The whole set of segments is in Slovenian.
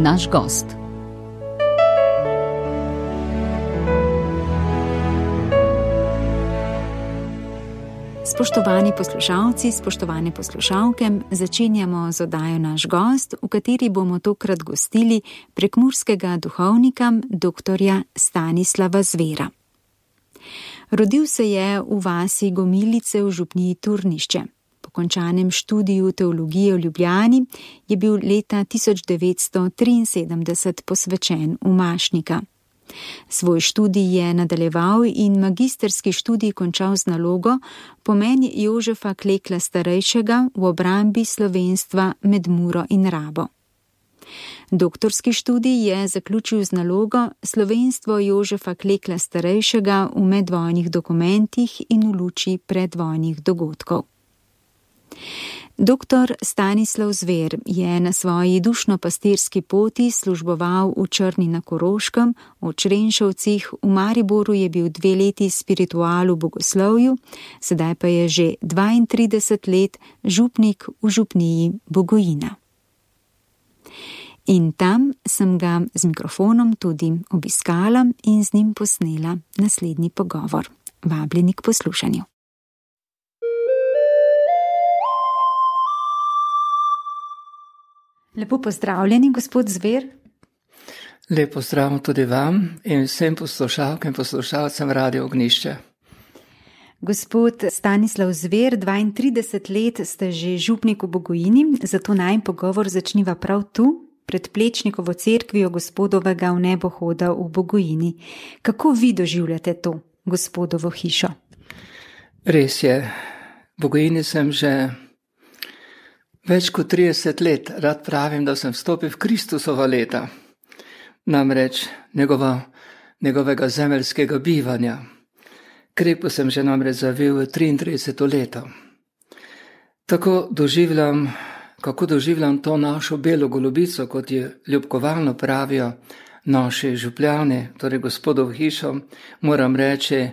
naš gost. Spoštovani poslušalci, spoštovane poslušalke, začenjamo z oddajo Naš gost, v kateri bomo tokrat gostili prekmurskega duhovnika dr. Stanislava Zvera. Rodil se je v vasi Gomilice v župniji Turnišče. Po končanem študiju teologije v Ljubljani je bil leta 1973 posvečen v Mašnika. Svoj študij je nadaljeval in magisterski študij končal z nalogo Pomen Jožefa Klekla starejšega v obrambi slovenstva med Muro in Rabo. Doktorski študij je zaključil z nalogo Slovenstvo Jožefa Klekla starejšega v medvojnih dokumentih in v luči predvojnih dogodkov. Dr. Stanislav Zver je na svoji dušno-pastirski poti služboval v Črni na Koroškem, v Črenšovcih, v Mariboru je bil 2 leti spiritual v bogoslovju, sedaj pa je že 32 let župnik v župniji Bogojina. In tam sem ga z mikrofonom tudi obiskala in z njim posnela naslednji pogovor. Vabljeni k poslušanju. Lepo pozdravljeni, gospod Zver. Lep pozdrav tudi vam in vsem poslušalkam in poslušalcem Radio Ognjišče. Gospod Stanislav Zver, 32 let ste že župnik v Bogojini, zato naj pogovor začniva prav tu, pred Plečnikovo cerkvijo gospodovega v nebohoda v Bogojini. Kako vi doživljate to gospodovo hišo? Res je, v Bogojini sem že več kot 30 let, rad pravim, da sem vstopil v Kristusova leta, namreč njegovega zemeljskega bivanja. Krepko sem že namreč zavil v 33. leto. Kako doživljam to našo belo golobico, kot je ljubkovalno pravijo naši župljani, torej gospodov hišo, moram reči,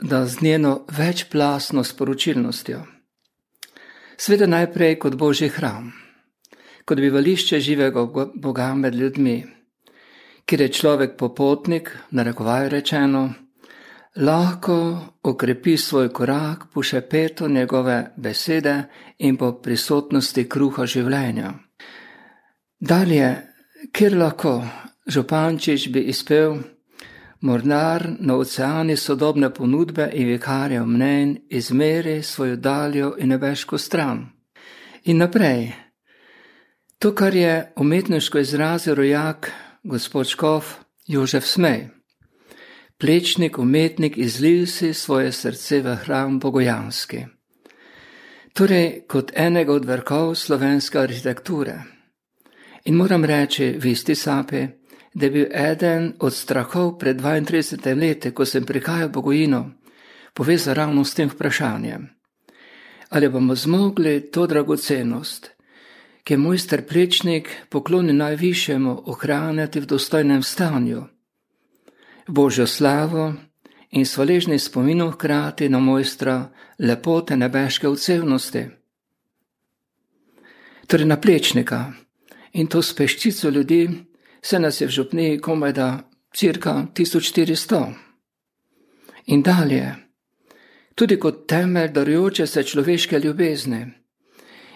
da z njeno večplastno sporočilnostjo. Sveda najprej kot Božji hram, kot bivališče živega Boga med ljudmi, kjer je človek popotnik, narekovaj rečeno, lahko okrepi svoj korak po šepetu njegove besede in po prisotnosti kruha življenja. Dalje, kjer lahko župančič bi izpel mornar na oceani sodobne ponudbe in vikarjev mnenj izmeri svojo daljo in nebeško stran. In naprej, to, kar je umetniško izrazil rojak gospod škof Jožef Smej. Plečnik, umetnik, izlil si svoje srce v hram bogojanski. Torej, kot enega od vrhov slovenske arhitekture. In moram reči, v isti sapi, da je bil eden od strahov pred 32 leti, ko sem prihajal v Bogojino, povezan ravno s tem vprašanjem. Ali bomo zmogli to dragocenost, ki je mojster Plečnik poklonil najvišjemu, ohranjati v dostojnem stanju, v Božjo slavo in s hvaležnim spominom hkrati na mojstra lepote nebeške odsevnosti. Torej na Plečnika in to s peščico ljudi, se nas je v župniji komajda cirka 1400. In dalje, tudi kot temelj darujoče se človeške ljubezni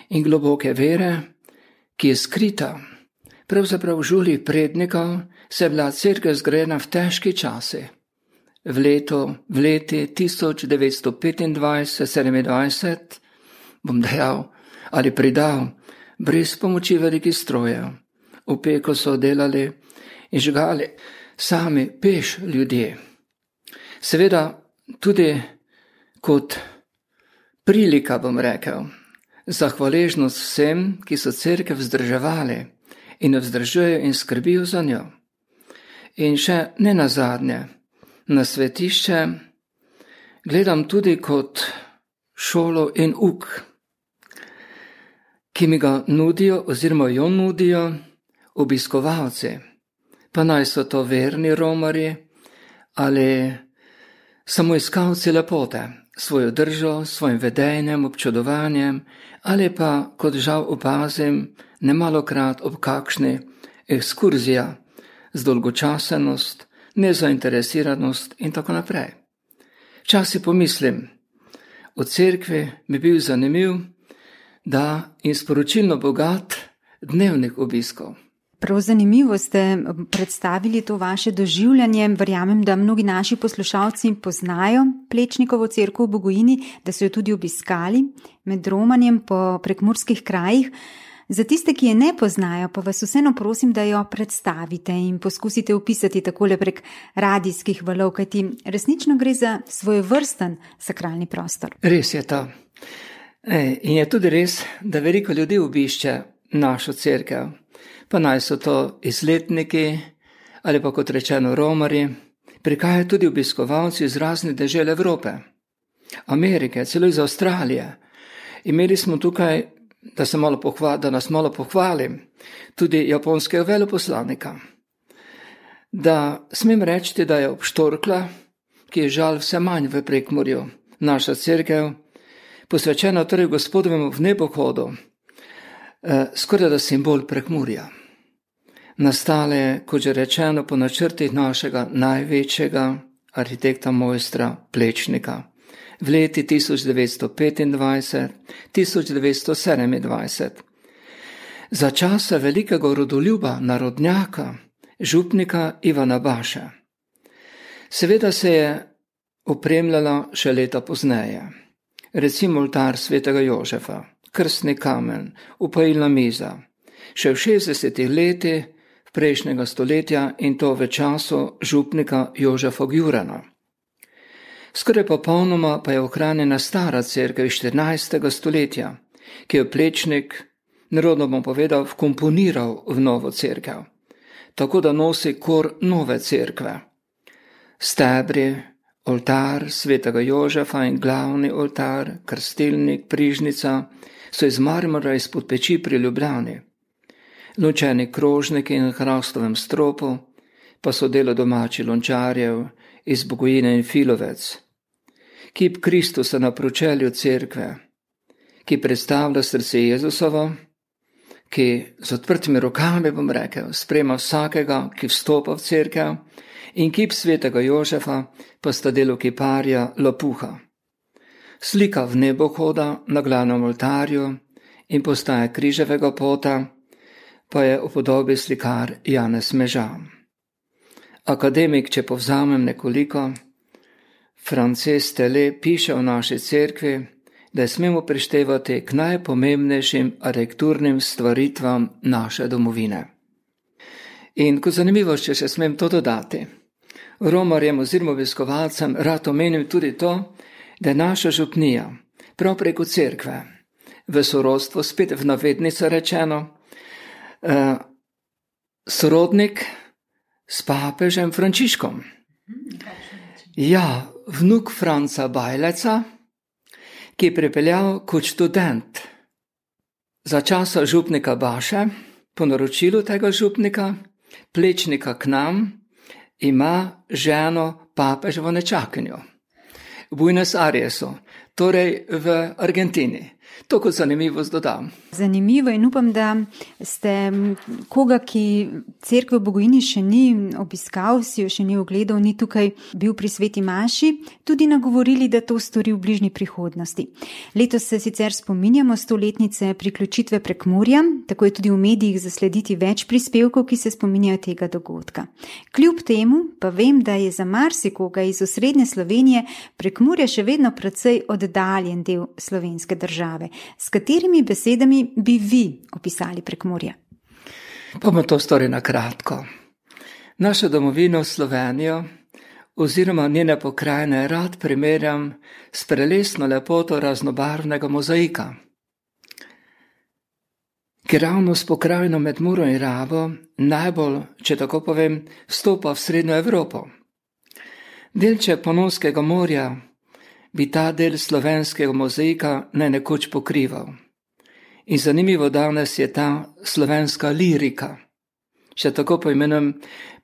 in globoke vere, ki je skrita, pravzaprav v žulih prednikov, se je bila cerkev zgrajena v težki časi. V leti 1925-27, bom dejal ali pridal, brez pomoči velikih strojev. V peko so delali in žgali sami peš ljudje. Seveda tudi kot prilika, bom rekel, za hvaležnost vsem, ki so cerkev vzdrževali in jo vzdržujejo in skrbijo za njo. In še ne nazadnje, na svetišče gledam tudi kot šolo in uk, ki mi ga nudijo oziroma jo nudijo obiskovalci, pa naj so to verni romarji ali samo iskalci lepote, svojo držo, svojim vedenjem, občudovanjem ali pa, kot žal opazim, nemalokrat ob kakšni ekskurzija, zdolgočasenost, nezainteresiranost in tako naprej. Včasih pomislim, v cerkvi bi bil zanimiv, da in sporočilno bogat dnevnik obiskov. Prav zanimivo ste predstavili to vaše doživljanje. Verjamem, da mnogi naši poslušalci poznajo Plečnikovo cerkev v Bogojini, da so jo tudi obiskali med romanjem po prekmurskih krajih. Za tiste, ki je ne poznajo, pa vas vseeno prosim, da jo predstavite in poskusite opisati takole prek radijskih valov, kajti resnično gre za svojevrsten sakralni prostor. Res je to. In je tudi res, da veliko ljudi obišče našo cerkev. Pa naj so to izletniki ali pa kot rečeno romarji, prihajajo tudi obiskovalci iz raznih dežel Evrope, Amerike, celo iz Avstralije. Imeli smo tukaj, da nas malo pohvalim, tudi japonskega veleposlanika. Da smem reči, da je obštorkla, ki je žal vse manj v Prekmurju, naša cerkev, posvečena torej Gospodovemu vnebohodu, skoraj da simbol Prekmurja. Nastale, kot že rečeno, po načrtih našega največjega arhitekta mojstra Plečnika v leti 1925-1927. Za časa velikega rodoljuba, narodnjaka, župnika Ivana Baše. Seveda se je opremljala še leta pozneje. Recimo oltar svetega Jožefa, krstni kamen, upojilna miza. Še v 60. letih prejšnjega stoletja in to v času župnika Jožefa Gjurana. Skoraj popolnoma pa je ohranjena stara cerkev iz 14. stoletja, ki je Plečnik, narodno bom povedal, vkomponiral v novo cerkev, tako da nosi kor nove cerkve. Stebri, oltar svetega Jožefa in glavni oltar, krstilnik, prižnica so iz marmora izpod peči pri Ljubljani. Lončeni krožniki in hrastovem stropu pa so delo domači lončarjev iz Bogojine in Filovec. Kip Kristusa na pročelju cerkve, ki predstavlja srce Jezusovo, ki z odprtimi rokami, bom rekel, sprejema vsakega, ki vstopa v cerkev, in kip svetega Jožefa pa sta delo kiparja Lopuha. Slika v nebohoda na glavnem oltarju in postaja križevega pota pa je v podobi slikar Janez Mežan. Akademik, če povzamem nekoliko, Frances Tele piše o naši cerkvi, da je smemo prištevati k najpomembnejšim arhitekturnim stvaritvam naše domovine. In kot zanimivost, če še smem to dodati, romarjem oziroma obiskovalcem rad omenim tudi to, da je naša župnija prav preko cerkve v sorodstvu, spet v navednico rečeno, sorodnik s papežem Frančiškom. Ja, vnuk Franca Bajleca, ki je pripeljal kot študent za časa župnika Baše, po naročilu tega župnika, Plečnika k nam, ima ženo papeževo nečakinjo v Buenos Airesu, torej v Argentini. To kot zanimivost dodam. Zanimivo in upam, da ste koga, ki cerkev v Bogojini še ni obiskal, si jo še ni ogledal, ni tukaj bil pri sveti maši, tudi nagovorili, da to stori v bližnji prihodnosti. Letos se sicer spominjamo 100-letnice priključitve Prekmurja, tako je tudi v medijih zaslediti več prispevkov, ki se spominjajo tega dogodka. Kljub temu pa vem, da je za marsikoga iz osrednje Slovenije Prekmurje še vedno precej oddaljen del slovenske države. S katerimi besedami bi vi opisali Prekmurje? Bomo to storili na kratko. Našo domovino Slovenijo oziroma njene pokrajine rad primerjam s prelesno lepoto raznobarvnega mozaika, ki ravno s pokrajino med Muro in Rabo najbolj, če tako povem, vstopa v Srednjo Evropo. Delček Panonskega morja bi ta del slovenskega mozaika nekoč pokrival. In zanimivo danes je ta slovenska lirika, če tako poimenujem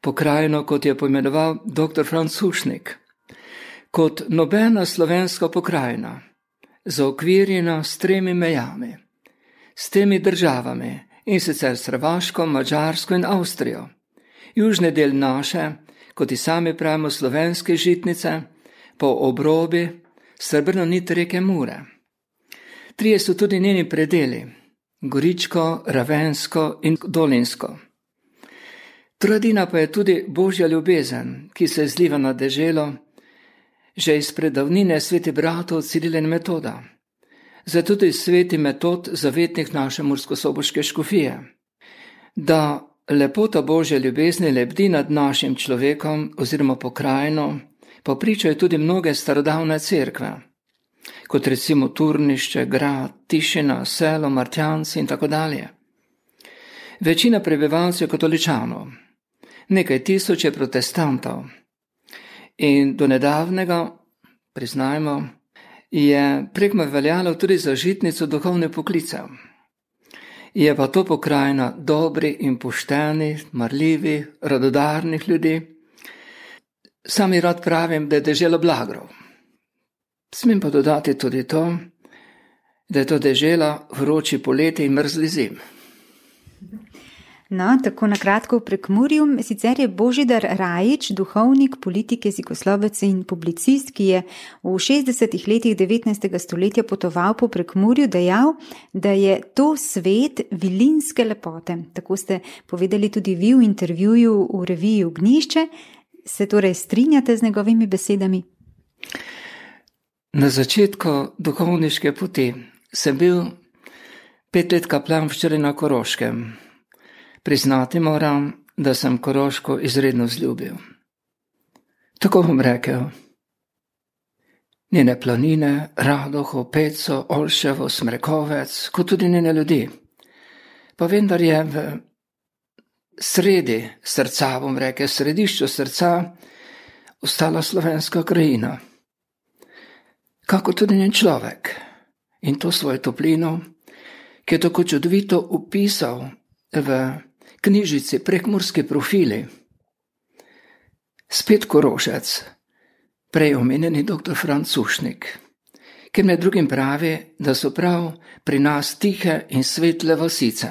pokrajino, kot je poimenoval dr. Franc Hušnik, kot nobena slovenska pokrajina, zaokvirjena s 3 mejami, s temi državami in sicer s Hrvaško, Madžarsko in Avstrijo. Južni del naše, kot i sami pravimo, slovenske žitnice, po obrobi srebrno nit reke Mure. Trije so tudi njeni predeli, Goričko, Ravensko in Dolinsko. Trojedina pa je tudi Božja ljubezen, ki se zliva na deželo, že iz predavnine sveti bratov Cirila in Metoda. Zato tudi sveti Metod, zavetnik naše murskosoboške škofije, da lepota Božje ljubezni lebdi nad našim človekom oziroma pokrajino, popričajo tudi mnoge starodavne cerkve, kot recimo Turnišče, Grad, Tišina, Selo, Martjanci in tako dalje. Večina prebivalcev je katoličanov, nekaj tisoč je protestantov in do nedavnega, priznajmo, je Prekmur veljalo tudi za žitnico duhovnih poklicev. Je pa to pokrajina dobri in pošteni, marljivi, radodarnih ljudi. Sami rad pravim, da je dežela blagrov. Smem pa dodati tudi to, da je to dežela vroči poleti in mrzli zim. No, tako na kratko v Prekmurju. Sicer je Božidar Rajić, duhovnik, politik, jezikoslovec in publicist, ki je v 60. letih 19. stoletja potoval po Prekmurju, dejal, da je to svet vilinske lepote. Tako ste povedali tudi vi v intervjuju v reviji Ognjišče. Se torej strinjate z njegovimi besedami? Na začetku duhovniške poti sem bil 5 let kaplan včeraj na Koroškem. Priznati moram, da sem Koroško izredno vzljubil. Tako bom rekel. Njene planine, Radoho, Peco, Olševo, Smrekovec, kot tudi njene ljudi. Pa vendar je v sredi srca, bom rekel, središču srca, ostala slovenska krajina. Kako tudi njen človek. In to svojo toplino, ki je tako čudovito upisal v knjižici Prekmurski profili. Spet Korošec, prej omenjeni dr. Franc Sušnik, ki med drugim pravi, da so prav pri nas tihe in svetle vasice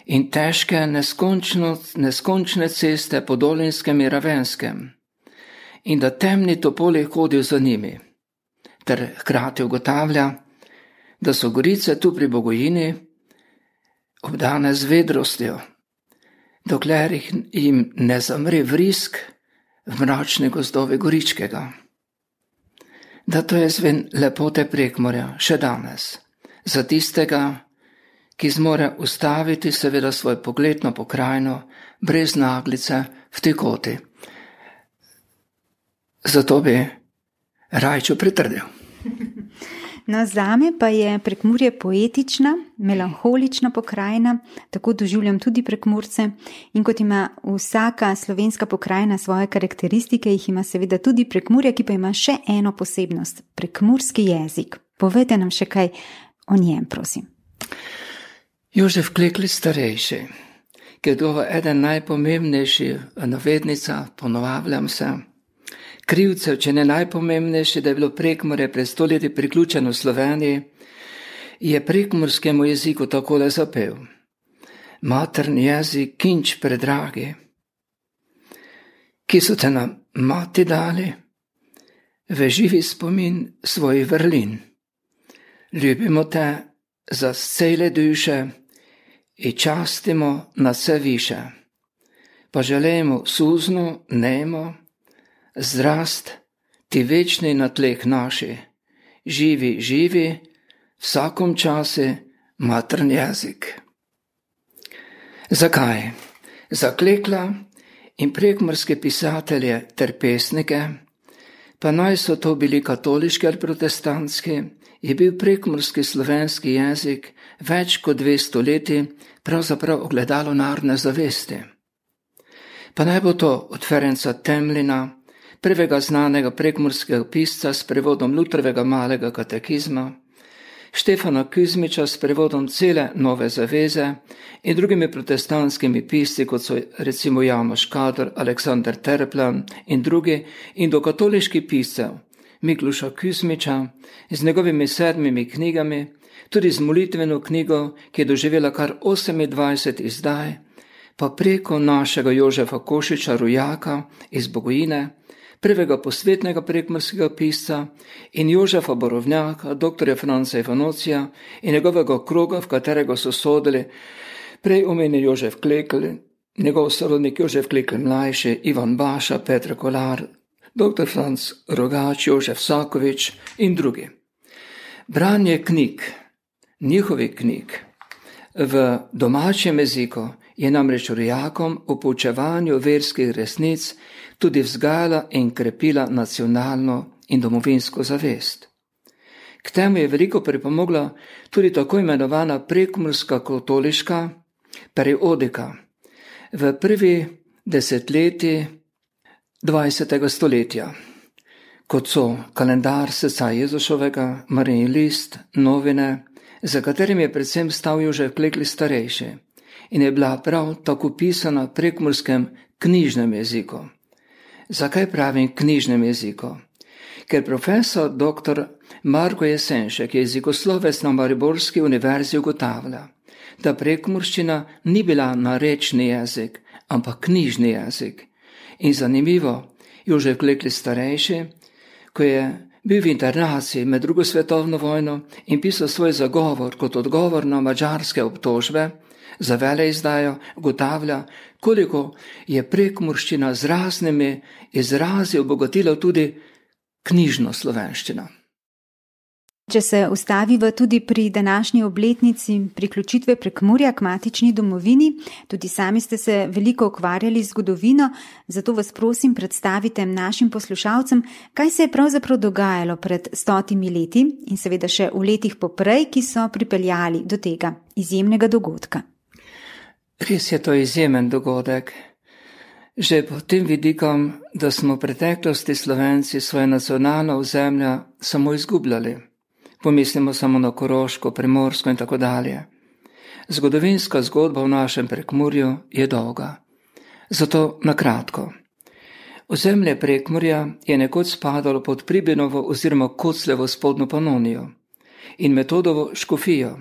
in težke neskončne ceste po Dolinskem in Ravenskem in da temni topoli hodijo za njimi, ter hkrati ugotavlja, da so gorice tu pri Bogojini obdane z vedrostjo, dokler jim ne zamre vrisk v mračne gozdove Goričkega. Da to je zven lepote Prekmurja še danes, za tistega, ki zmore ustaviti seveda svoj pogled na pokrajino brez naglice v tekoti. Zato bi Rajču pritrdil. No, zame pa je Prekmurje poetična, melanholična pokrajina, tako doživljam tudi Prekmurce, in kot ima vsaka slovenska pokrajina svoje karakteristike, jih ima seveda tudi Prekmurje, ki pa ima še eno posebnost, prekmurski jezik. Povejte nam še kaj o njem, prosim. Jožef Klekl starejši, ki je dova eden najpomembnejših navednica, ponovavljam se, krivcev, če ne najpomembnejši, da je bilo Prekmurje pred stoletji priključeno Sloveniji, je prekmurskemu jeziku takole zapel. Materni jezik, kinč predragi, ki so te nam mati dali, v živi spomin svojih vrlin. Ljubimo te za cele duše i častimo na vse više, pa želimo suzno, nemo, zdrast ti večni na tleh naši, živi, živi, vsakom časi materni jezik. Zakaj? Za Klekla in prekmurske pisatelje ter pesnike, pa naj so to bili katoliški ali protestantski, je bil prekmurski slovenski jezik več kot 200 leti pravzaprav ogledalo narodne zavesti. Pa naj bo to od Ferenca Temlina, prvega znanega prekmurskega pisca s prevodom Lutrovega malega katekizma, Štefana Kuzmiča s prevodom cele Nove zaveze in drugimi protestantskimi pisci, kot so recimo Janoš Kadar, Aleksander Terplan in drugi, in do katoliških piscev Mikluša Kuzmiča z njegovimi 7 knjigami, tudi z molitveno knjigo, ki je doživela kar 28 izdaj, pa preko našega Jožefa Košiča Rojaka iz Bogojine, prvega posvetnega prekmurskega pisca, in Jožefa Borovnjaka, dr. Franca Ivanocija in njegovega kroga, v katerega so sodili prej omenjen Jožef Klekl, njegov sorodnik Jožef Klekl mlajši, Ivan Baša, Petr Kolar, dr. Franc Rogač, Jožef Sakovič in drugi. Branje knjig, njihovih knjig, v domačem jeziku je namreč Rojakom v poučevanju verskih resnic tudi vzgajala in krepila nacionalno in domovinsko zavest. K temu je veliko pripomogla tudi tako imenovana prekmurska katoliška periodika v prvi desetletji 20. stoletja, kot so kalendar srca Jezušovega, Marijin list, novine, za katerim je predvsem stal Jožef Klekl starejši in je bila prav tako pisana v prekmurskem knjižnem jeziku. Zakaj pravim knjižnem jeziku? Ker profesor dr. Marko Jesenšek, jezikoslovec na Mariborski univerzi, ugotavlja, da prekmurščina ni bila narečni jezik, ampak knjižni jezik. In zanimivo, Jožef Klekl starejši, ko je bil v internaciji med drugo svetovno vojno in pisal svoj zagovor kot odgovor na madžarske obtožbe za veleizdajo, ugotavlja, koliko je prekmurščina z raznimi izrazi obogatila tudi knjižno slovenščino. Če se ustaviva tudi pri današnji obletnici priključitve Prekmurja k matični domovini, tudi sami ste se veliko ukvarjali z zgodovino, zato vas prosim predstavite našim poslušalcem, kaj se je pravzaprav dogajalo pred 100 leti in seveda še v letih poprej, ki so pripeljali do tega izjemnega dogodka. Res je to izjemen dogodek. Že pod tem vidikom, da smo v preteklosti Slovenci svoje nacionalno ozemlja samo izgubljali. Pomislimo samo na Koroško, Primorsko in tako dalje. Zgodovinska zgodba v našem Prekmurju je dolga. Zato na kratko. Ozemlje Prekmurja je nekoč spadalo pod Pribinovo oziroma Koclevo spodnjo Panonijo in Metodovo škofijo.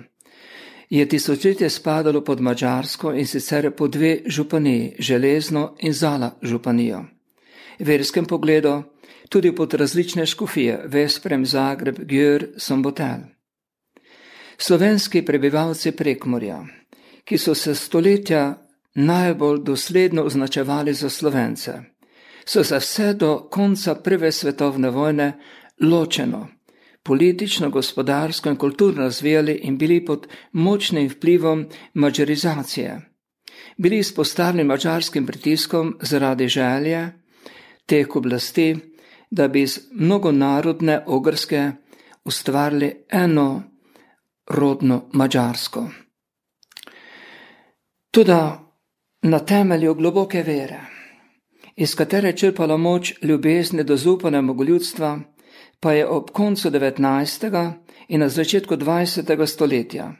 Je tisočletje spadalo pod Madžarsko in sicer pod dve županiji, Železno in Zala županijo. V verskem pogledu tudi pod različne škofije, Vesprem, Zagreb, Gjör, Sombotel. Slovenski prebivalci Prekmurja, ki so se stoletja najbolj dosledno označevali za Slovence, so se vse do konca Prve svetovne vojne ločeno, politično, gospodarsko in kulturno razvijali in bili pod močnim vplivom madžarizacije. Bili izpostavljeni madžarskim pritiskom zaradi želje teh oblasti, da bi iz mnogonarodne Ogrske ustvarili eno rodno Madžarsko. Toda na temelju globoke vere, iz katere črpala moč ljubezni do zaupanega ljudstva, pa je ob koncu 19. in na začetku 20. stoletja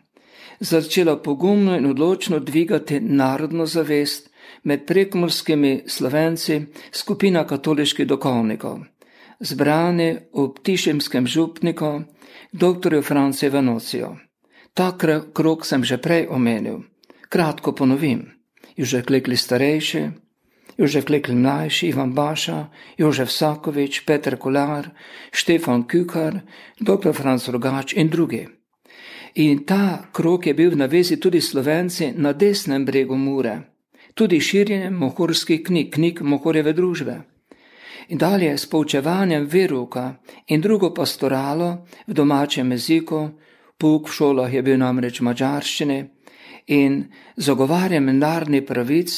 začela pogumno in odločno dvigati narodno zavest med prekmurskimi Slovenci skupina katoliških duhovnikov, zbrani v Ptišemskem župniku dr. Francu Ivanociju. Ta krog sem že prej omenil. Kratko ponovim. Jožef Klekl starejši, Jožef Klekl mlajši, Ivan Baša, Jožef Sakovič, Petr Kolar, Štefan Kükar, dr. Franc Rogač in drugi. In ta krog je bil v navezi tudi Slovenci na desnem bregu Mure, tudi širjenjem mohorskih knjig Mohorjeve družbe. In dalje s poučevanjem verouka in drugo pastoralo v domačem jeziku, pouk v šolah je bil namreč madžarščini, in zagovarjanjem narodnih pravic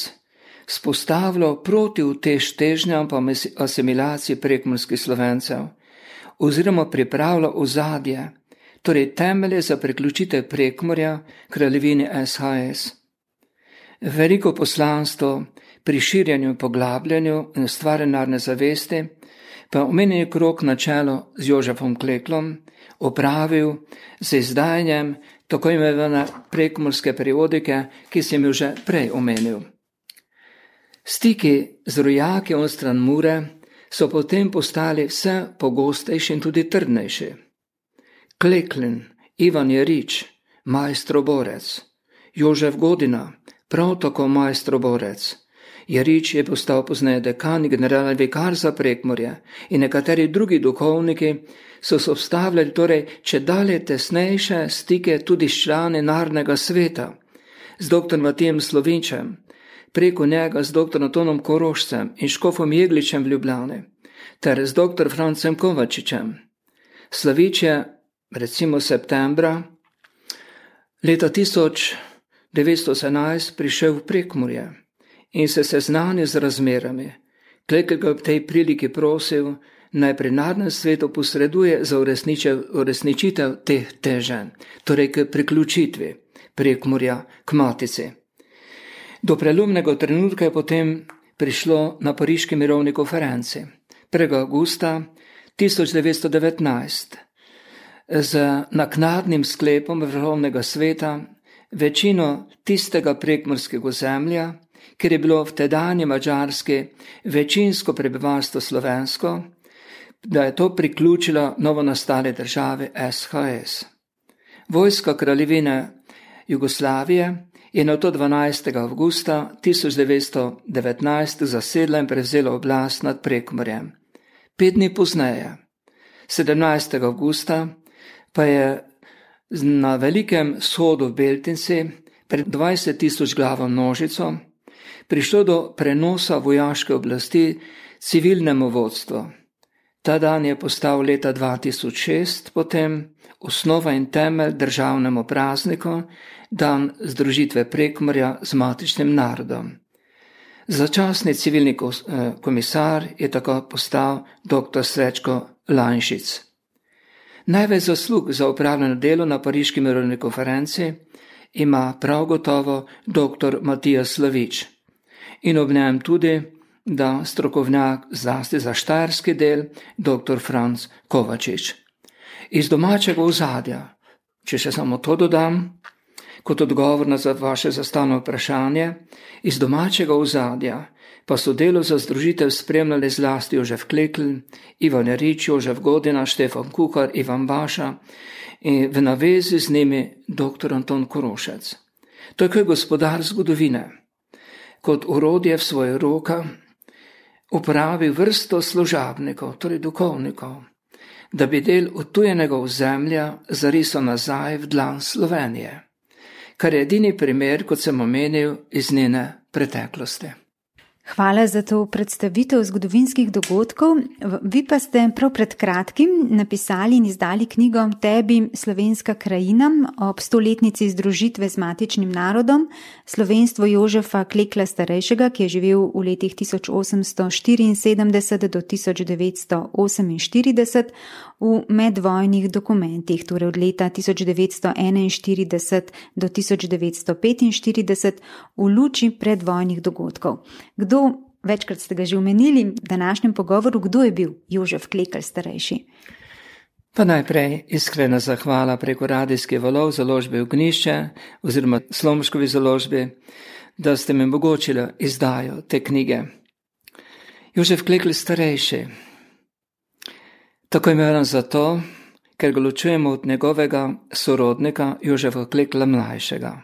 spostavilo proti težnjam pa asimilaciji prekmurskih Slovencev oziroma pripravilo ozadje, torej temelje za priključitev Prekmurja kraljevini SHS. Veliko poslanstvo pri širjenju in poglabljanju in ustvarjanju narodne zavesti pa omenjeni krog na čelo z Jožefom Kleklom opravil z izdajanjem tako imenovane prekmurske periodike, ki sem jo že prej omenil. Stiki z rojaki onstran Mure so potem postali vse pogostejši in tudi trdnejši. Kleklin Ivan Jerič, majstroborec, Jožef Godina, prav tako majstroborec. Jerič je postal pozneje dekan in generalni vikar za Prekmurje in nekateri drugi duhovniki so se obstavljali torej čedalje tesnejše stike tudi s člani Narodnega sveta, z dr. Matijem Slovinčem, preko njega z dr. Antonom Korošcem in škofom Jegličem v Ljubljani, ter z dr. Francem Kovačičem. Slavič je, recimo septembra leta 1918 prišel v Prekmurje in se seznanil z razmerami. Klekl ga v tej priliki prosil, naj pri Narodnem svetu posreduje za uresničitev teh teženj, torej k priključitvi Prekmurja k Matici. Do prelomnega trenutka je potem prišlo na Pariški mirovni konferenci 1. avgusta 1919 z naknadnim sklepom Vrhovnega sveta večino tistega prekmurskega ozemlja, ker je bilo v tedanji Madžarski večinsko prebivalstvo slovensko, da je to priključila novonastale države SHS. Vojska kraljevine Jugoslavije je na to 12. avgusta 1919 zasedla in prevzela oblast nad Prekmurjem. 5 dni pozneje, 17. avgusta, pa je na velikem shodu v Beltinci pred 20.000 glavo množico prišlo do prenosa vojaške oblasti civilnemu vodstvu. Ta dan je postal leta 2006 potem osnova in temelj državnemu prazniku, dan združitve Prekmurja z matičnim narodom. Začasni civilni komisar je tako postal dr. Srečko Lanšic. Največ zaslug za upravljeno delo na Pariški mirovni konferenci ima prav gotovo dr. Matija Slavič in ob njem tudi, da strokovnjak zlasti za štajerski del dr. Franc Kovačič. Iz domačega ozadja, če še samo to dodam, kot odgovor na vaše zastavljeno vprašanje, iz domačega ozadja pa so delo za združitev spremljali zlasti Jožef Klekl, Ivan Jerič, Jožef Godina, Štefan Kuhar, Ivan Baša in v navezi z njimi dr. Anton Korošec. To je gospodar zgodovine, kot orodje v svoje roka uporabil vrsto služabnikov, torej duhovnikov, da bi del utujenega ozemlja zarisal nazaj v dlan Slovenije, kar je edini primer, kot sem omenil, iz njene preteklosti. Hvala za to predstavitev zgodovinskih dogodkov. Vi pa ste prav pred kratkim napisali in izdali knjigo Tebi slovenska krajina ob 100-letnici združitve z matičnim narodom, slovenstvo Jožefa Klekla starejšega, ki je živel v letih 1874 do 1948 v medvojnih dokumentih, torej od leta 1941 do 1945 v luči predvojnih dogodkov. Večkrat ste ga že omenili v današnjem pogovoru, kdo je bil Jožef Klekl starejši? Pa najprej iskrena zahvala preko radijskih valov založbe Ognjišče oziroma Slomškovi založbi, da ste mi omogočili izdajo te knjige. Jožef Klekl starejši. Tako imenovan zato, ker ga ločujemo od njegovega sorodnika Jožefa Klekla mlajšega.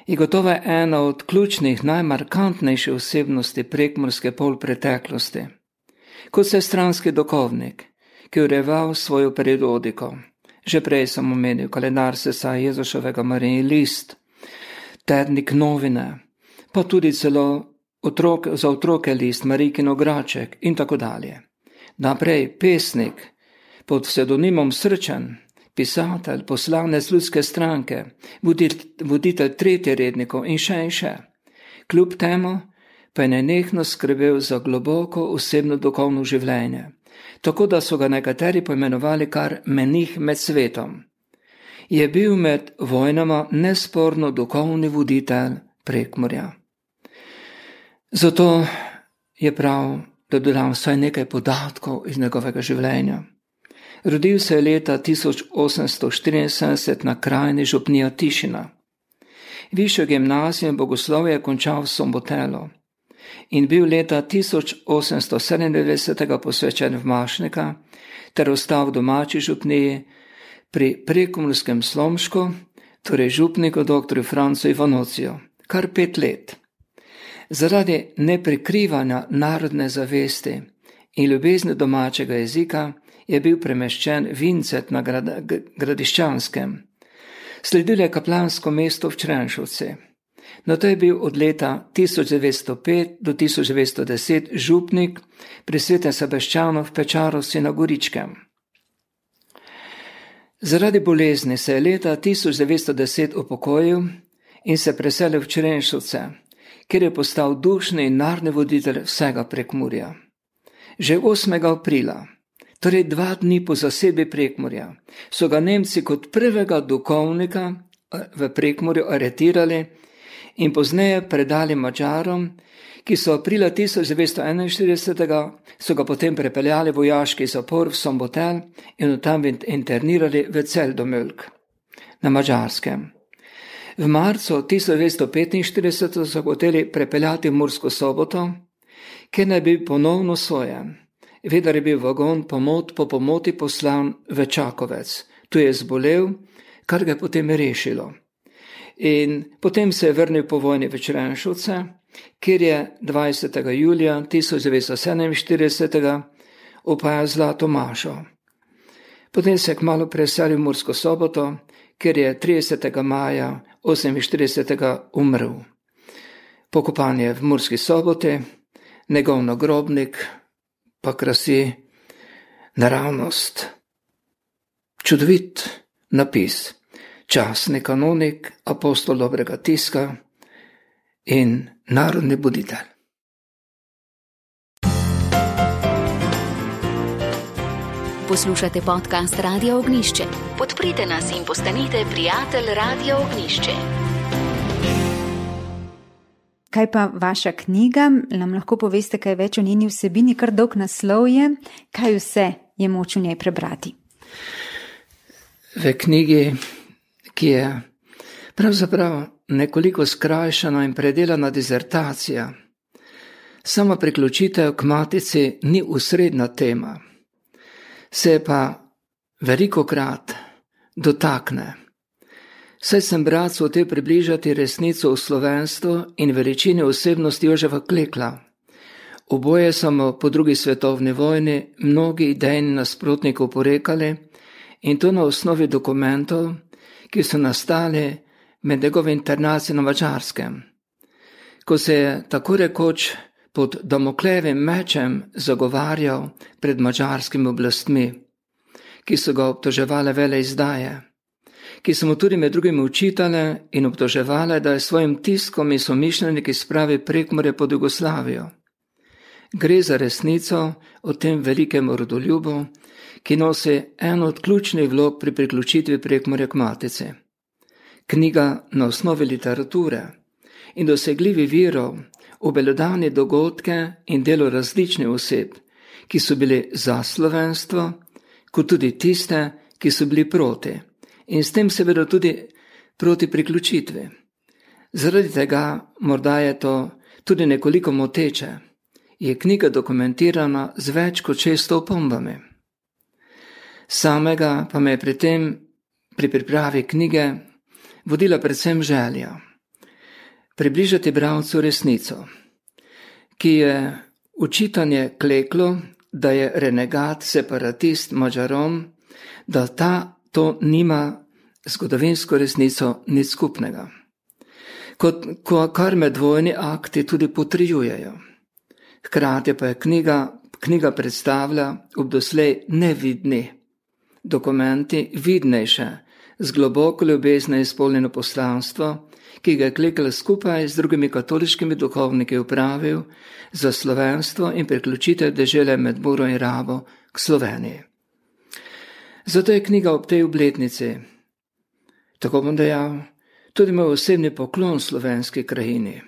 In gotovo je ena od ključnih, najmarkantnejših osebnosti prekmurske polpreteklosti. Kot vsestranski duhovnik, ki je urejeval svojo periodiko. Že prej sem omenil kalendar Sesa Jezuševega Marijin list, tednik Novine, pa tudi celo za otroke list Marijkin ograček in tako dalje. Naprej pesnik pod pseudonimom Srčan, pisatelj, poslanec Ljudske stranke, voditelj tretjerednikov in še. Kljub temu pa je nenehno skrbel za globoko osebno duhovno življenje, tako da so ga nekateri poimenovali kar menih med svetom. Je bil med vojnama nesporno duhovni voditelj Prekmurja. Zato je prav, da dodam vsaj nekaj podatkov iz njegovega življenja. Rodil se je leta 1874 na krajini župnija Tišina. Višjo gimnazijo in bogoslovje je končal v Sombotelu in bil leta 1897 posvečen v Mašnika ter ostal v domači župniji, pri prekomorskem Slomšku, torej župniku dr. Francu Ivanociju, kar 5 let. Zaradi neprikrivanja narodne zavesti in ljubezni domačega jezika je bil premeščen Vincet na Gradiščanskem. Sledilo je kaplansko mesto v Črenšovci. No, to je bil od leta 1905 do 1910 župnik pri Svetem Sebaščanu v Pečarovci na Goričkem. Zaradi bolezni se je leta 1910 upokojil in se preselil v Črenšovce, kjer je postal dušni in narodni voditelj vsega Prekmurja. Že 8. aprila, torej 2 dni po zasedbi Prekmurja, so ga Nemci kot prvega duhovnika v Prekmurju aretirali in pozneje predali Madžarom, ki so aprila 1941 so ga potem prepeljali v vojaški zapor v Sombotel in tam internirali v Celdomölk na Madžarskem. V marcu 1945 so hoteli prepeljati v Mursko Soboto, kjer naj bi ponovno sojen. Vendar je bil vagon po pomoti poslan v Čakovec. Tu je zbolel, kar ga je potem rešilo. In potem se je vrnil po vojni v Črenšovce, kjer je 20. julija 1947 opajal Zlato mašo. Potem se je kmalu preselil v Mursko Soboto, kjer je 30. maja 1948 umrl. Pokopan je v Murski Soboti, njegov nagrobnik pa krasi naravnost. Čudovit napis, častni kanonik, apostol dobrega tiska in narodni buditelj. Poslušate podcast Radia Ognjišče. Podprite nas in postanite prijatelj Radia Ognjišče. Kaj pa vaša knjiga? Nam lahko poveste kaj več o njeni vsebini, kar dolg naslov je. Kaj vse je moč v njej prebrati? V knjigi, ki je pravzaprav nekoliko skrajšana in predelana dizertacija, sama priključitev k matici ni osrednja tema, se pa velikokrat dotakne. Saj sem bratcu hotel približati resnico o slovenstvu in veličini osebnosti Jožefa Klekla. Oboje so mu po 2. svetovni vojni mnogi idejni nasprotniki oporekali in to na osnovi dokumentov, ki so nastali med njegovo internacijo na Madžarskem, ko se je tako rekoč pod Damoklejevim mečem zagovarjal pred madžarskimi oblastmi, ki so ga obtoževale veleizdaje, ki so mu tudi med drugim učitale in obtoževale, da je svojim tiskom in somišljeniki spravi Prekmurje pod Jugoslavijo. Gre za resnico o tem velikem rodoljubu, ki nosi eno od ključnih vlog pri priključitvi Prekmurja k matici. Knjiga na osnovi literature in dosegljivi virov obelodani dogodke in delo različnih oseb, ki so bili za slovenstvo, kot tudi tiste, ki so bili proti. In s tem seveda tudi proti priključitvi. Zaradi tega, morda je to tudi nekoliko moteče, je knjiga dokumentirana z več kot 600 opombami. Samega pa me je pri pripravi knjige vodila predvsem želja približati bralcu resnico, ki je učitanje Kleklu, da je renegat, separatist Madžarom, da to nima zgodovinsko resnico nič skupnega. Kar medvojni akti tudi potrjujejo. Hkrati pa je knjiga predstavlja ob doslej nevidni dokumenti vidnejše, z globoko ljubezne izpolnjeno poslanstvo, ki ga je Klekl skupaj z drugimi katoliškimi duhovniki upravil za slovenstvo in priključitev dežele med Muro in Rabo k Sloveniji. Zato je knjiga ob tej obletnici, tako bom dejal, tudi moj osebni poklon slovenski krajini,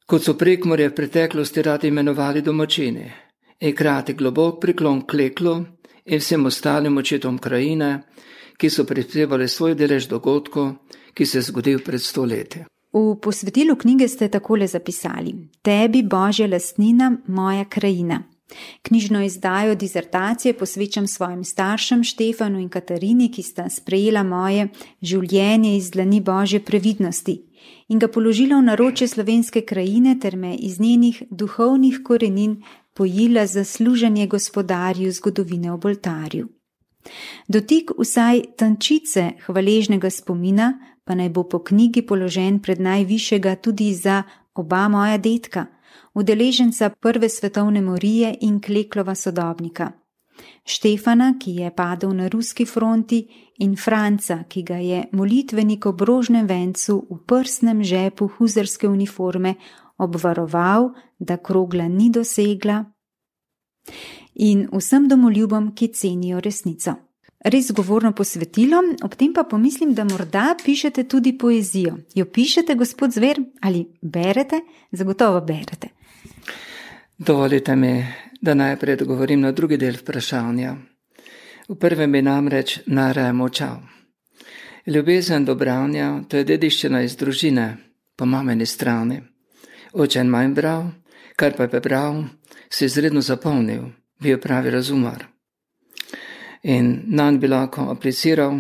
kot so Prekmurje v preteklosti radi imenovali domačini, in hkrati globok priklon Kleklu in vsem ostalim očetom krajine, ki so prispevali svoj delež dogodkov, ki se je zgodil pred 100 leti. V posvetilu knjige ste takole zapisali: Tebi, Božja lastnina, moja krajina. Knjižno izdajo disertacije posvečam svojim staršem Štefanu in Katarini, ki sta sprejela moje življenje iz dlani Božje previdnosti in ga položila v naročje slovenske krajine ter me iz njenih duhovnih korenin pojila za služenje Gospodarju zgodovine ob oltarju. Dotik vsaj tančice hvaležnega spomina pa naj bo po knjigi položen pred najvišjega tudi za oba moja dedka, udeleženca prve svetovne morije in Kleklova sodobnika. Štefana, ki je padel na ruski fronti, in Franca, ki ga je molitvenik ob rožnem vencu v prsnem žepu huzarske uniforme obvaroval, da krogla ni dosegla, in vsem domoljubom, ki cenijo resnico. Res govorno posvetilo, ob tem pa pomislim, da morda pišete tudi poezijo. Jo pišete, gospod Zver, ali berete? Zagotovo berete. Dovolite mi, da najprej odgovorim na drugi del vprašanja. V prvem bi namreč najraje molčal. Ljubezen do branja, to je dediščina iz družine, po mamini strani. Oče je manj bral, kar pa je prebral, se izredno zapomnil, bil pravi razumar. In nanj bi lahko apliciral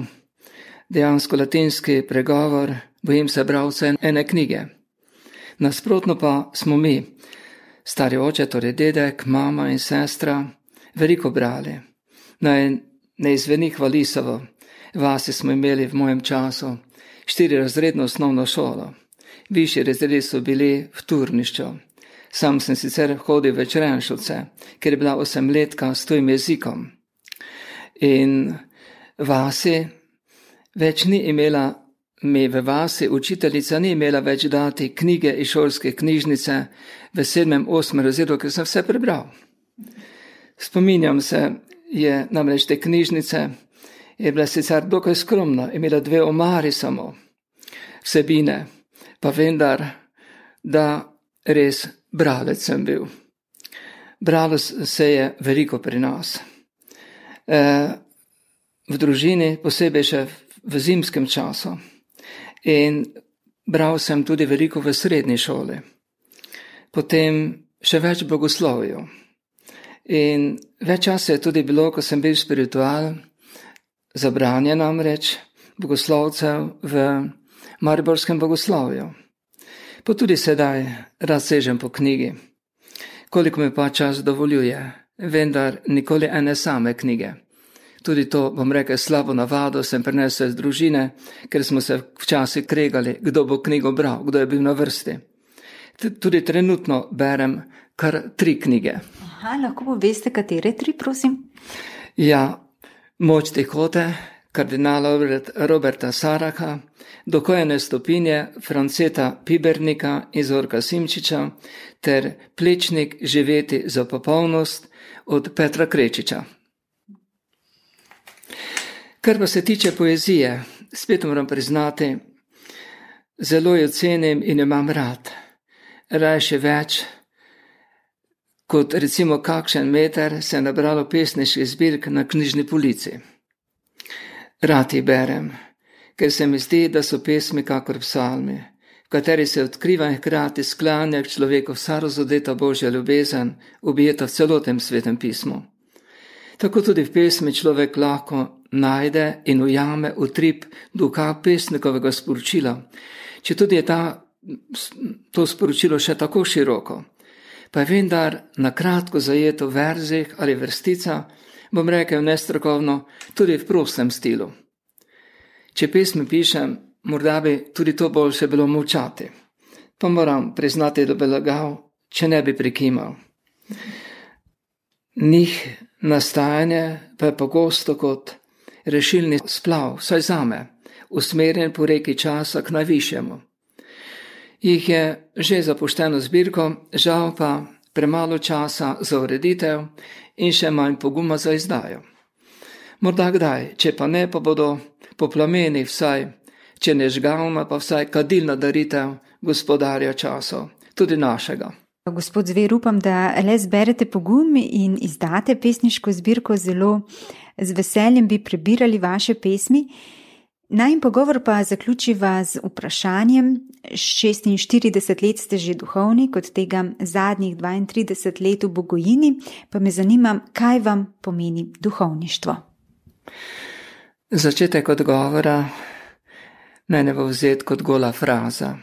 dejansko latinski pregovor, bojim se bralce ene knjige. Nasprotno pa smo mi, stari oče, torej dedek, mama in sestra, veliko brali. Naj ne izveni hvalisavo, vasi smo imeli v mojem času 4-razredno osnovno šolo. Višji razredi so bili v Turnišču. Sam sem sicer hodil v Črenšovce, ker je bila 8-letka s tujim jezikom. In vasi več ni imela, v vasi učiteljica ni imela več dati knjige iz šolske knjižnice v 7-8 razredu, ker sem vse prebral. Spominjam se, je namreč te knjižnice, je bila sicer dokaj skromna, imela 2 omari samo vsebine, pa vendar, da res bralec sem bil. Bralo se je veliko pri nas. V družini, posebej še v zimskem času. In bral sem tudi veliko v srednji šoli. Potem še več bogoslovju. In več časa je tudi bilo, ko sem bil spiritual, za branje namreč bogoslovcev v mariborskem bogoslovju. Pa tudi sedaj rad sežem po knjigi, koliko mi pa čas dovoljuje, vendar nikoli ene same knjige. Tudi to, bom rekel, slabo navado sem prenesel iz družine, ker smo se včasih kregali, kdo bo knjigo bral, kdo je bil na vrsti. Tudi trenutno berem kar 3 knjige. Aha, lahko poveste, katere 3, prosim? Ja, Moč tihote, kardinala Roberta Saraha, Dokojene stopinje Franceta Pibernika in Zorka Simčiča ter Plečnik živeti za popolnost od Petra Krečiča. Kar pa se tiče poezije, spet moram priznati, zelo jo cenim in imam rad. Raje še več, kot recimo kakšen meter se je nabralo pesniških zbirk na knjižni polici. Rad jih berem, ker se mi zdi, da so pesmi kakor psalmi, v kateri se odkriva in hkrati sklanja k človeku vsa razodeta Božja ljubezen, objeta v celotnem svetem pismu. Tako tudi v pesmi človek lahko najde in ujame utrip duha pesnikovega sporočila, če tudi je to sporočilo še tako široko, pa je vendar na kratko zajeto v verzih ali vrstica, bom rekel nestrokovno, tudi v prostem stilu. Če pesmi pišem, morda bi tudi to boljše bilo molčati, pa moram priznati, da bi lagal, če ne bi prikimal. Njih nastajanje pa je pogosto kot rešilni splav, vsaj zame, usmerjen po reki časa k najvišjemu. Jih je že zapušteno zbirko, žal pa premalo časa za ureditev in še manj poguma za izdajo. Morda kdaj, če pa ne, pa bodo po plamenih vsaj, če ne žgalna, pa vsaj kadilna daritev gospodarja časov, tudi našega. Gospod Zver, upam, da le zberete pogum in izdate pesniško zbirko. Zelo z veseljem bi prebirali vaše pesmi. Najin pogovor pa zaključiva z vprašanjem. 46 let ste že duhovnik, od tega zadnjih 32 let v Bogojini, pa me zanima, kaj vam pomeni duhovništvo. Začetek odgovora naj ne bo vzet kot gola fraza.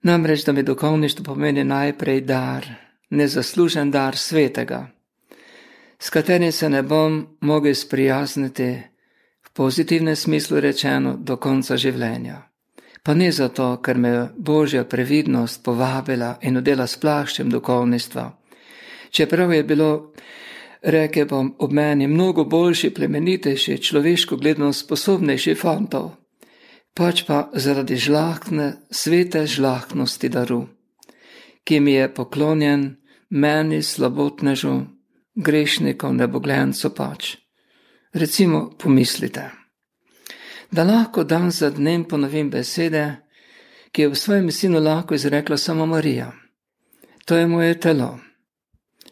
Namreč, da mi duhovništvo pomeni najprej dar, nezaslužen dar svetega, s katerim se ne bom mogel sprijazniti v pozitivnem smislu rečeno do konca življenja. Pa ne zato, ker me Božja previdnost povabila in odela s plaščem duhovništva. Čeprav je bilo, rekel bom, ob meni mnogo boljši, plemenitejši, človeško gledano sposobnejši fantov, pač pa zaradi žlahtne, svete žlahtnosti daru, ki mi je poklonjen meni slabotnežu, grešnikov, nebogljencu pač. Recimo pomislite, da lahko dan za dnem ponovim besede, ki je v svojem sinu lahko izrekla samo Marija. To je moje telo,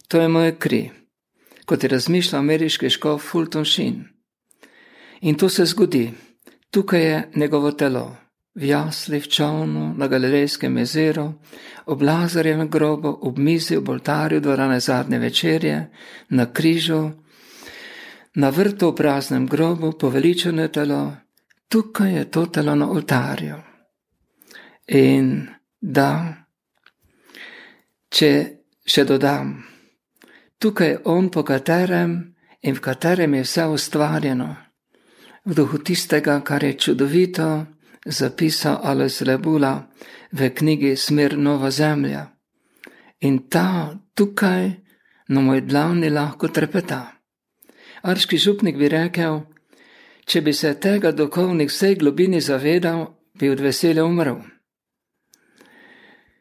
to je moje kri, kot je razmišljal ameriški škof Fulton Sheen. In to se zgodi, tukaj je njegovo telo, v jasli, v čolnu, na Galilejskem jezeru, ob Lazarjevem grobu, ob mizi, ob oltarju dvorane zadnje večerje, na križu, na vrtu v praznem grobu, poveličeno telo, tukaj je to telo na oltarju. In da, če še dodam, tukaj je on, po katerem in v katerem je vse ustvarjeno, v duhu tistega, kar je čudovito zapisal Alois Rebula v knjigi Smer nova zemlja. In ta tukaj na moj dlani lahko trepeta. Arški župnik bi rekel, če bi se tega duhovnik vsej globini zavedal, bi od veselja umrl.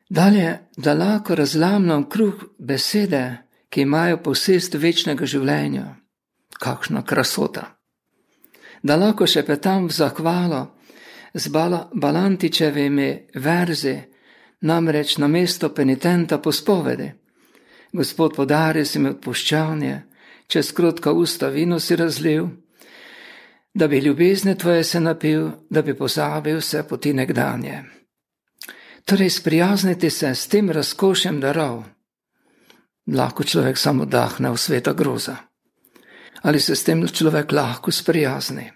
Dalje, da lahko razlamljam kruh besede, ki imajo posest večnega življenja. Kakšna krasota. Da lahko šepetam v zahvalo z Balantičevimi verzi, namreč na mesto penitenta po spovedi. Gospod, podari si mi odpuščanje, čez krotka usta vino si razlil, da bi ljubezne tvoje se napil, da bi pozabil vse poti nekdanje. Torej, sprijazniti se s tem razkošjem darov, lahko človek samo dahne v sveta groza. Ali se s tem človek lahko sprijazni?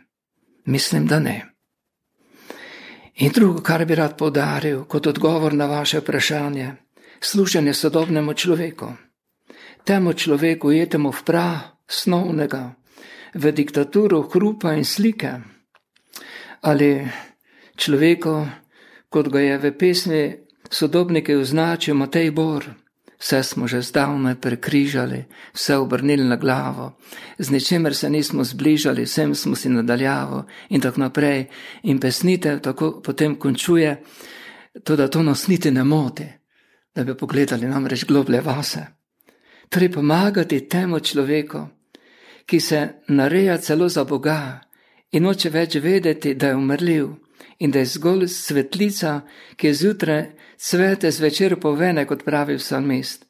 Mislim, da ne. In drugo, kar bi rad poudaril kot odgovor na vaše vprašanje, služenje sodobnemu človeku. Temu človeku jetemu v prah snovnega, v diktaturo hrupa in slike. Ali človeku, kot ga je v pesmi Sodobnike označil Matej Bor, vse smo že zdavnaj prekrižali, vse obrnili na glavo, z ničemer se nismo zbližali, vsem smo si nadaljavo in tako naprej. In pesnitev tako potem končuje, da to nas niti ne moti, da bi pogledali namreč globlje vase. Torej pomagati temu človeku, ki se nareja celo za Boga in noče več vedeti, da je umrljiv in da je zgolj svetlica, ki je zjutraj cvete, zvečer povene, kot pravi psalmist.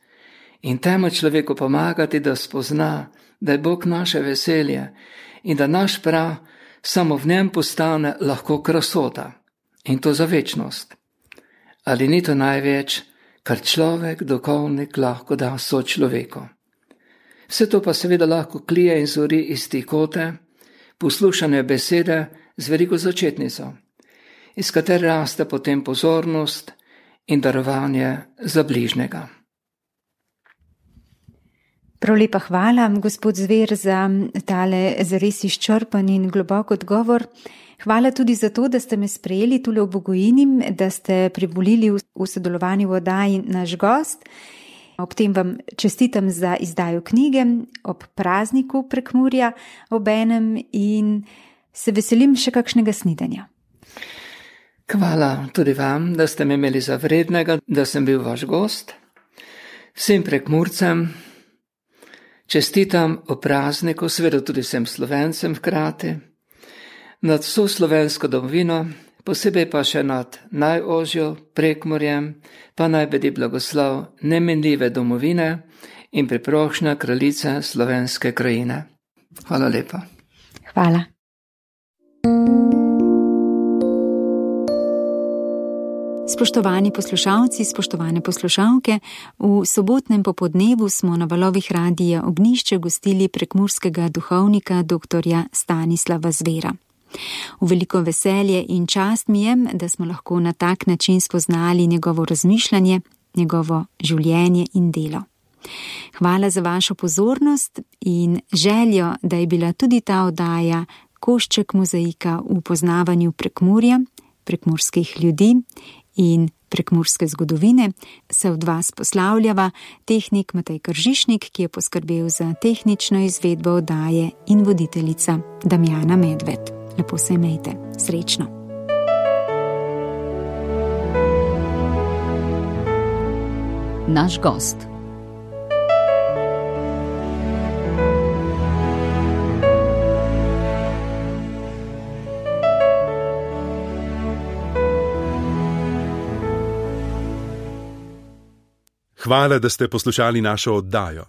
In temu človeku pomagati, da spozna, da je Bog naše veselje in da naš prah samo v njem postane lahko krasota. In to za večnost. Ali ni to največ, kar človek, duhovnik, lahko da sočloveku? Vse to pa seveda lahko klije in zori iz tihote, poslušane besede z veliko začetnico, iz katere raste potem pozornost in darovanje za bližnjega. Prav lepa hvala, gospod Zver, za tale zares izčrpan in globok odgovor. Hvala tudi za to, da ste me sprejeli tule v Bogojini, da ste privolili v sodelovanju v oddaji Naš gost. Ob tem vam čestitam za izdajo knjige ob prazniku Prekmurja obenem in se veselim še kakšnega snidenja. Hvala tudi vam, da ste me imeli za vrednega, da sem bil vaš gost. Vsem Prekmurcem čestitam o prazniku, seveda tudi vsem Slovencem hkrati, nad vso slovensko domovino, posebej pa še nad najožjo Prekmurjem, pa naj bedi blagoslov nemenljive domovine in priprošnja kraljice slovenske krajine. Hvala lepa. Hvala. Spoštovani poslušalci, spoštovane poslušalke, v sobotnem popodnevu smo na valovih Radia Ognjišče gostili prekmurskega duhovnika dr. Stanislava Zvera. V veliko veselje in čast mi je, da smo lahko na tak način spoznali njegovo razmišljanje, njegovo življenje in delo. Hvala za vašo pozornost in željo, da je bila tudi ta oddaja košček mozaika v poznavanju Prekmurja, prekmurskih ljudi in prekmurske zgodovine, se od vas poslavljava tehnik Matej Kržišnik, ki je poskrbel za tehnično izvedbo oddaje, in voditeljica Damjana Medved. Lepo se imejte, srečno. Naš gost. Hvala, da ste poslušali našo oddajo.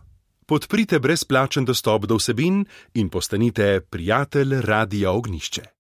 Podprite brezplačen dostop do vsebin in postanite prijatelj Radia Ognjišče.